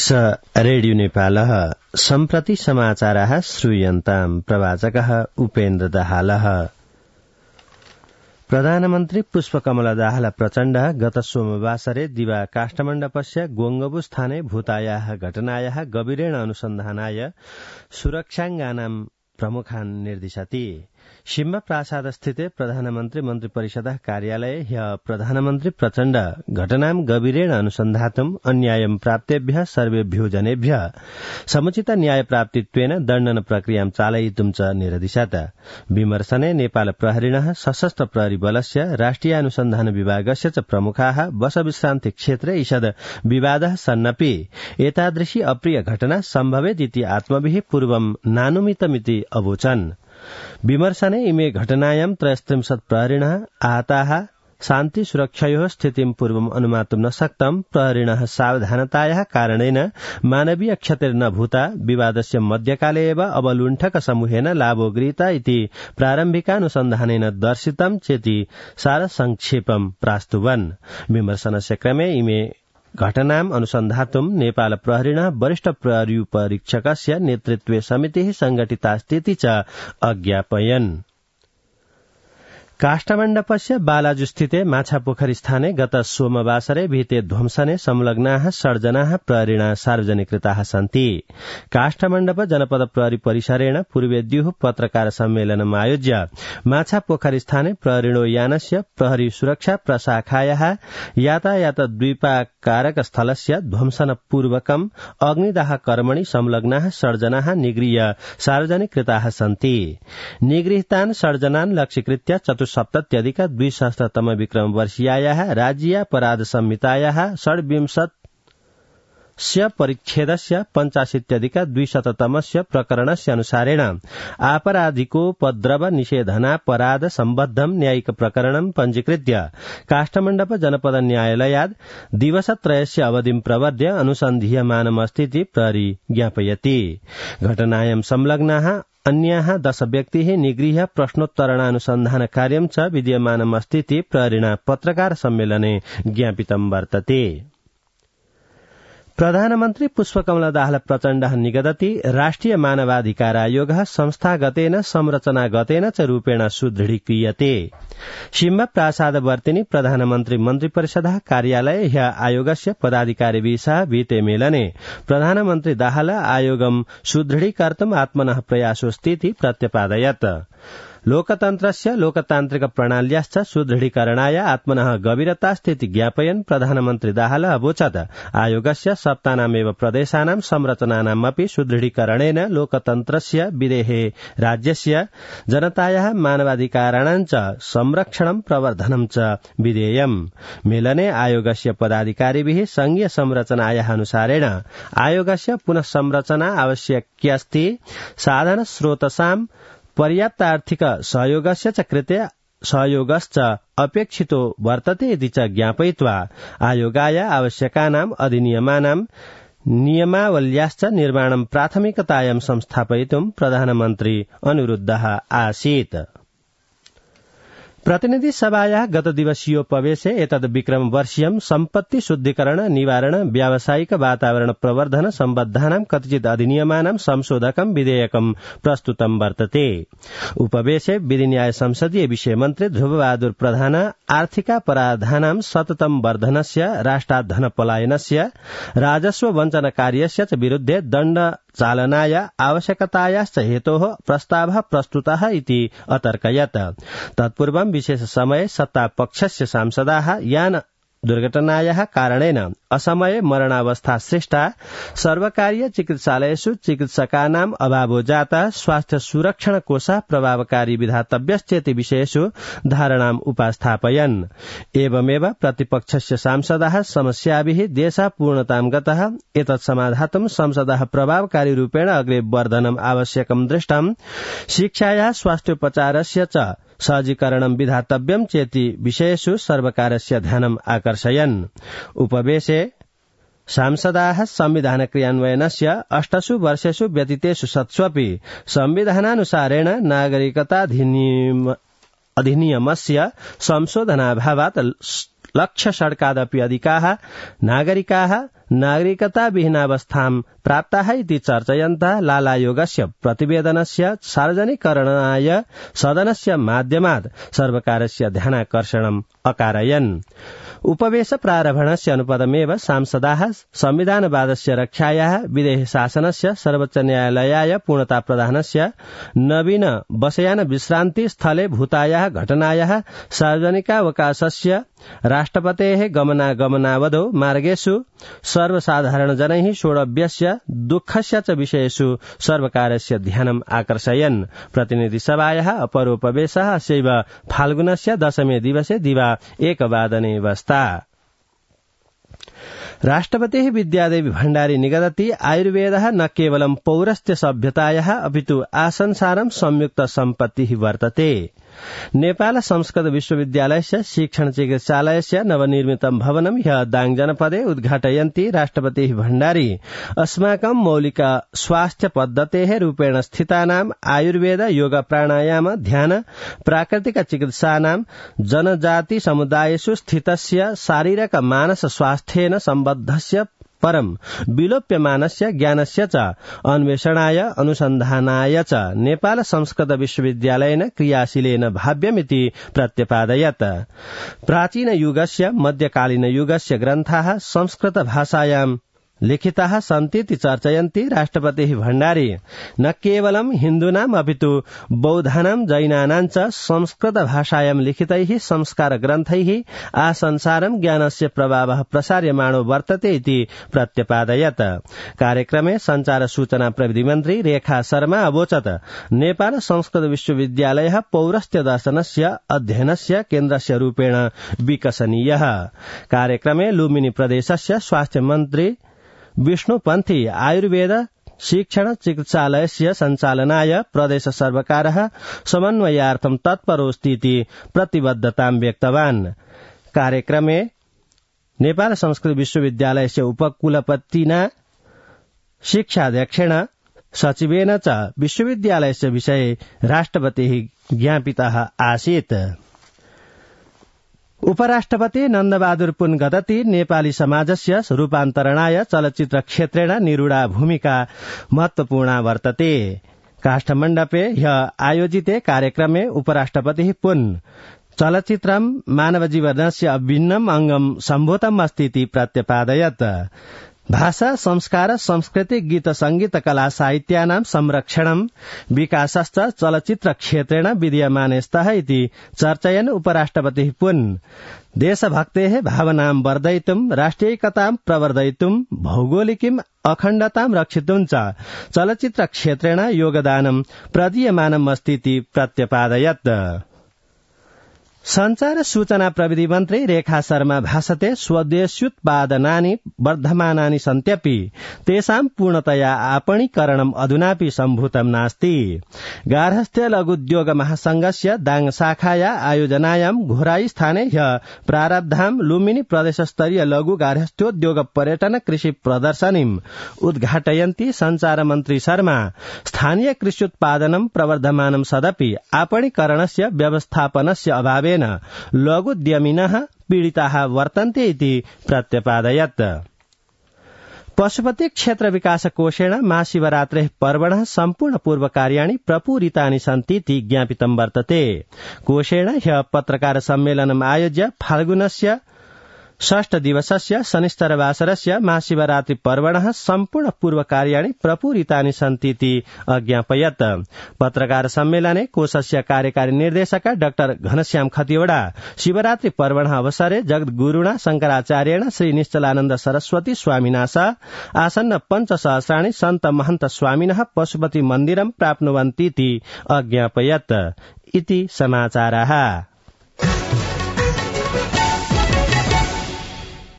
S radio नेपालः सम्प्रति समाचारः श्रूयन्ताम् प्रवाचकः उपेन्द्र दाहालः। प्रधानमन्त्री पुष्पकमल दाहाल प्रचण्डः गत सोमवासरे दिवा काष्ठमण्डपस्य गोङ्गबुस्थाने भूतायाः घटनायाः गभीरेण अनुसन्धानाय सुरक्षाङ्गानां प्रमुखान् निर्दिशति। शिम्बा प्रासाद स्थिते प्रधानमन्त्री मन्त्री परिषदः कार्यालये ह्यः प्रधानमन्त्री प्रचण्ड घटनां गभीरेण अनुसन्धातुम् अन्यायं प्राप्तेभ्यः सर्वेभ्यो जनेभ्यः समुचित न्याय प्राप्तित्वेन दण्डन प्रक्रियां चालयितुं च निर्दिशत्। विमर्शने नेपाल प्रहरिणः सशस्त्र प्रहरी बलस्य राष्ट्रिय अनुसन्धान विभागस्य च प्रमुखाः बसविश्रान्ति क्षेत्रे ईषद् विवादः सन्नपि एतादृशी अप्रिय घटना सम्भवेत् इति आत्मभिः पूर्वं नानुमितमिति अवोचन्। विमर्शने इमे घटनायां 33 प्रहरिणः आहताः शान्ति सुरक्षयोः स्थितिं पूर्वम् अनुमातुं न शक्तं। प्रहरिणः सावधानतायाः कारणेन मानवीय क्षतिर्न भूता विवादस्य मध्यकाले एव अवलुण्ठक समूहेन लाभो गृहीता इति प्रारम्भिकानुसन्धानेन दर्शितं चेति सारसंक्षेपं प्रास्तुवन्। विमर्शनस्य क्रमे इमे घटनाम् अनुसन्धातुं नेपाल प्रहरिणः वरिष्ठ प्रहरीपरीक्षकस्य नेतृत्वे समितिः संघटितास्तीति च अज्ञापयन्। काष्ठमण्डपस्य बालाजुस्थिते माछापोखरी स्थाने गत सोमवासरे भीते ध्वंसने संलग्नाः 6 जनाः प्रहरिणा सार्वजनिकृताः सन्ति। काष्ठमण्डप जनपद प्रहरी परिसरेण पूर्वेद्युः पत्रकार सम्मेलनम् आयोज्य माछापोखरी स्थाने प्रहरिणो यानस्य प्रहरी सुरक्षा प्रशाखायाः यातायात द्वीपाकारक स्थलस्य ध्वंसन पूर्वकम् अग्निदाह कर्मणि संलग्नाः 6 जनाः निगृह्य सार्वजनिकृताः सन्ति। निगृहीतान् 6 जनान् लक्ष्यीकृत्य 270-200 विक्रम वर्षीयायाः राज्यीयापराध संहितायाः 26 परिच्छेदस्य 85-200 प्रकरणस्य अनुसारेण आपराधिकोपद्रव निषेधनापराध सम्बद्धं न्यायिक प्रकरणं पञ्जीकृत्य काष्ठमण्डप जनपद न्यायालयात् दिवसत्रयस्य अवधिं प्रवर्ध्य अनुसन्धीयमानमस्तीति प्रहरी ज्ञापयति। घटनायां संलग्नाः अन्याः 10 व्यक्तिः निगृह्य प्रश्नोत्तरणानुसन्धान कार्यं च विद्यमानमस्तीति प्रहरिणा पत्रकार सम्मेलने ज्ञापितं वर्तते। प्रधानमन्त्री पुष्पकमल दाहाल प्रचण्डः निगदति राष्ट्रिय मानवाधिकार आयोगः संस्थागतेन संरचनागतेन च रूपेण सुदृढीक्रियते। शिम्बा प्रासादवर्तिनि प्रधानमन्त्री मन्त्रिपरिषदः कार्यालये ह्यः आयोगस्य पदाधिकारिभिः सह वीते मेलने प्रधानमन्त्री दाहाल आयोगं सुदृढीकर्तुम् आत्मनः प्रयासोऽस्तीति प्रत्यपादयत्। लोकतन्त्रस्य लोकतान्त्रिक प्रणाल्याश्च सुदृढीकरणाय आत्मनः गभीरतास्तीति ज्ञापयन् प्रधानमन्त्री दाहाल अवोचत् आयोगस्य सप्तानामेव प्रदेशानां संरचनानामपि सुदृढीकरणेन लोकतन्त्रस्य विदेहे राज्यस्य जनतायाः मानवाधिकाराणां च संरक्षणं प्रवर्धनं च विधेयम्। मेलने आयोगस्य पदाधिकारिभिः संघीय संरचनायाः अनुसारेण आयोगस्य पुनः संरचना आवश्यक्यस्ति। साधन स्रोतसां पर्याप्त आर्थिक सहयोगस्य च कृते सहयोगश्च अपेक्षितो वर्तते इति च ज्ञापयित्वा आयोगाय आवश्यकानाम् अधिनियमानां नियमावल्याश्च निर्माणं प्राथमिकतायां संस्थापयितुं प्रधानमन्त्री अनुरुद्धः आसीत्। प्रतिनिधि सभायाः गत दिवसीयोपवेशे एतद् विक्रम वर्षीयं सम्पत्ति शुद्धिकरण निवारण व्यावसायिक वातावरण प्रवर्धन सम्बद्धानां कतिचित् अधिनियमानां संशोधकं विधेयकं प्रस्तुतं वर्तते। उपवेशे विधिन्याय संसदीय विषय मन्त्री ध्रुवबहादुर प्रधान आर्थिकापराधानां सततं वर्धनस्य राष्ट्रात् धनपलायनस्य राजस्व वञ्चनकार्यस्य च विरुद्धे दण्ड चालनाय आवश्यकतायाश्च हेतोः प्रस्तावः प्रस्तुतः इति अतर्कयत्। तत्पूर्वं विशेष समये सत्तापक्षस्य सांसदाः यान दुर्घटनायाः कारणेन असमये मरणावस्था सृष्टा सर्वकारीय चिकित्सालयेषु चिकित्सकानाम् अभावो जाता स्वास्थ्य सुरक्षण कोषः प्रभावकारी विधातव्यश्चेति विषयेषु धारणाम् उपस्थापयन्। एवमेव प्रतिपक्षस्य सांसदाः समस्याभिः देशः पूर्णतां गतः एतत् समाधातुं संसदः प्रभावकारी रूपेण अग्रे वर्धनम् आवश्यकं दृष्टम्। शिक्षायाः स्वास्थ्योपचारस्य च सहजीकरणं विधातव्यं चेति विषयेषु सर्वकारस्य ध्यानम् आकर्षयन्। उपवेशे सांसदाः संविधान क्रियान्वयनस्य 8 वर्षेषु व्यतीतेषु सत्स्वपि संविधानानुसारेण नागरिकता अधिनियमस्य संशोधनाभावात् लक्ष्य षड्कादपि अधिकाः नागरिकाः नागरिकता विहीनावस्थां प्राप्ताः इति चर्चयन्तः लालायोगस्य प्रतिवेदनस्य सार्वजनिकरणाय सदनस्य माध्यमात् सर्वकारस्य ध्यानाकर्षणम् अकारयन्। उपवेश प्रारम्भणस्य अनुपदमेव सांसदाः संविधानवादस्य रक्षायाः विदेह शासनस्य सर्वोच्च न्यायालयाय पूर्णता प्रदानस्य नवीन बसयान विश्रान्ति स्थले भूतायाः घटनायाः सार्वजनिकावकाशस्य राष्ट्रपतेः गमनागमनावधौ मार्गेषु सर्वसाधारणजनैः सोढव्यस्य दुःखस्य च विषयेषु सर्वकारस्य ध्यानम् आकर्षयन्। प्रतिनिधिसभायाः अपरोपवेशः अस्यैव फाल्गुनस्य दशमे दिवसे दिवा 1 वादने वस्ता। राष्ट्रपतिः विद्यादेवी भण्डारी निगदति आयुर्वेदः न केवलं पौरस्त्य सभ्यतायाः अपितु आसंसारं संयुक्त सम्पत्तिः वर्तते। नेपाल संस्कृत विश्वविद्यालयस्य शिक्षण चिकित्सालयस्य नवनिर्मितं भवनं ह्यः दाङ जनपदे उद्घाटयन्ती राष्ट्रपतिः भण्डारी अस्माकं मौलिक स्वास्थ्य पद्धतेः रूपेण स्थितानां आयुर्वेद योग प्राणायाम ध्यान प्राकृतिक चिकित्सानां जनजाति समुदायेषु स्थितस्य शारीरिक मानस स्वास्थ्येन सम्बद्धस्य परं विलोप्यमानस्य ज्ञानस्य च अन्वेषणाय अनुसन्धानाय च नेपाल संस्कृत विश्वविद्यालयेन क्रियाशीलेन भाव्यमिति प्रत्यपादयत्। प्राचीन युगस्य मध्यकालीन युगस्य ग्रन्थाः संस्कृत भाषायां लिखिताः सन्तीति चर्चयन्ती राष्ट्रपतिः भण्डारी न केवलं हिन्दूनाम् अपितु बौद्धानां जैनानां च संस्कृत भाषायां लिखितैः संस्कार ग्रन्थैः आसंसारं ज्ञानस्य प्रभावः प्रसार्यमाणो वर्तते इति प्रत्यपादयत्। कार्यक्रमे संचार सूचना प्रविधि मन्त्री रेखा शर्मा अवोचत् नेपाल संस्कृत विश्वविद्यालयः पौरस्त्य दर्शनस्य अध्ययनस्य केन्द्रस्य रूपेण विकसनीयः। कार्यक्रमे लुम्बिनी प्रदेशस्य स्वास्थ्य मन्त्री विष्णुपन्थी आयुर्वेद शिक्षण चिकित्सालयस्य सञ्चालनाय प्रदेश सर्वकारः समन्वयार्थं तत्परोऽस्तीति प्रतिबद्धतां व्यक्तवान्। कार्यक्रमे नेपाल संस्कृत विश्वविद्यालयस्य उपकुलपतिना शिक्षाध्यक्षेण सचिवेन च विश्वविद्यालयस्य विषये राष्ट्रपतिः ज्ञापितः आसीत्। उपराष्ट्रपति नन्दबहादुर पुन गदति नेपाली समाजस्य रूपान्तरणाय चलचित्र क्षेत्रेण निरूढा भूमिका महत्वपूर्णा वर्तते। काष्ठमण्डपे ह्यः आयोजिते कार्यक्रमे उपराष्ट्रपतिः पुन चलचित्रं मानवजीवनस्य अभिन्नम् अङ्गं सम्भूतम् अस्तीति प्रत्यपादयत्। भाषा संस्कार संस्कृति गीत संगीत कला साहित्यानां संरक्षणं विकासश्च चलचित्र क्षेत्रेण विद्यमाने स्तः इति चर्चयन् उपराष्ट्रपतिः पुन देशभक्तेः भावनां वर्धयितुं राष्ट्रियैकतां प्रवर्धयितुं भौगोलिकीं अखण्डतां रक्षितुं च चलचित्र क्षेत्रेण योगदानं प्रदीयमानम् अस्तीति प्रत्यपादयत्। संचार सूचना प्रविधि मन्त्री रेखा शर्मा भाषते स्वदेश्युत्पादनानि वर्धमानानि सन्त्यपि तेषां पूर्णतया आपणीकरणम् अधुनापि सम्भूतं नास्ति। गार्हस्थ्य लघुद्योग महासंघस्य दाङ शाखाया आयोजनायां घोराई स्थाने ह्यः प्रारब्धां लुम्बिनी प्रदेशस्तरीय लघु गार्हस्थ्योद्योग पर्यटन कृषि प्रदर्शनीम् उद्घाटयन्ती संचार मन्त्री शर्मा स्थानीय कृष्योत्पादनं प्रवर्धमानं सदपि आपणीकरणस्य व्यवस्थापनस्य अभावे लघुद्यमिनः पीडिताः वर्तन्ते इति प्रत्यपादयत्। पशुपति क्षेत्र विकास कोषेण महाशिवरात्रेः पर्वणः सम्पूर्ण पूर्वकार्याणि प्रपूरितानि सन्तीति ज्ञापितं वर्तते। कोषेण ह्यः पत्रकार सम्मेलनम् आयोज्य फाल्गुनस्य 6 दिवसस्य शनिश्चरवासरस्य महाशिवरात्रि पर्वणः सम्पूर्ण पूर्वकार्याणि प्रपूरितानि सन्तीति अज्ञापयत्। पत्रकार सम्मेलने कोषस्य कार्यकारी निर्देशक डाक्टर घनश्याम खतिवड़ा शिवरात्रि पर्वणः अवसरे जगद्गुरुणा शंकराचार्येण श्री निश्चलानन्द सरस्वती स्वामिना सह आसन्न पञ्चसहस्राणि सन्त महन्त स्वामिनः पशुपति मन्दिरं प्राप्नुवन्तीति अज्ञापयत् इति समाचारः।